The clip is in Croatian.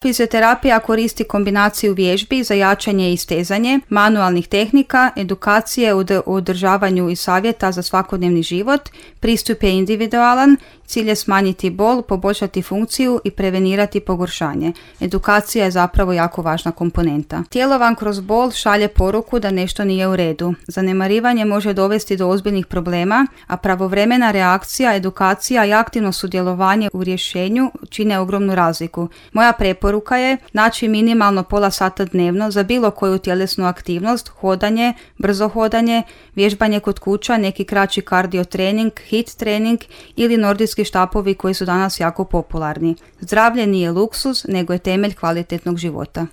Fizioterapija koristi kombinaciju vježbi za jačanje i stezanje, manualnih tehnika, edukacije u održavanju i savjeta za svakodnevni život. Pristup je individualan, cilj je smanjiti bol, poboljšati funkciju i prevenirati pogoršanje. Edukacija je zapravo jako važna komponenta. Tijelo vam kroz bol šalje poruku da nešto nije u redu. Zanemarivanje može dovesti do ozbiljnih problema, a pravovremena reakcija, edukacija i aktivno sudjelovanje u rješenju čine ogromnu razliku. Moja preporuka je naći minimalno pola sata dnevno za bilo koju tjelesnu aktivnost, hodanje, brzo hodanje, vježbanje kod kuća, neki kraći kardio trening, HIIT trening ili nordijski štapovi koji su danas jako popularni. Zdravlje nije luksuz, nego je temelj kvalitetnog života.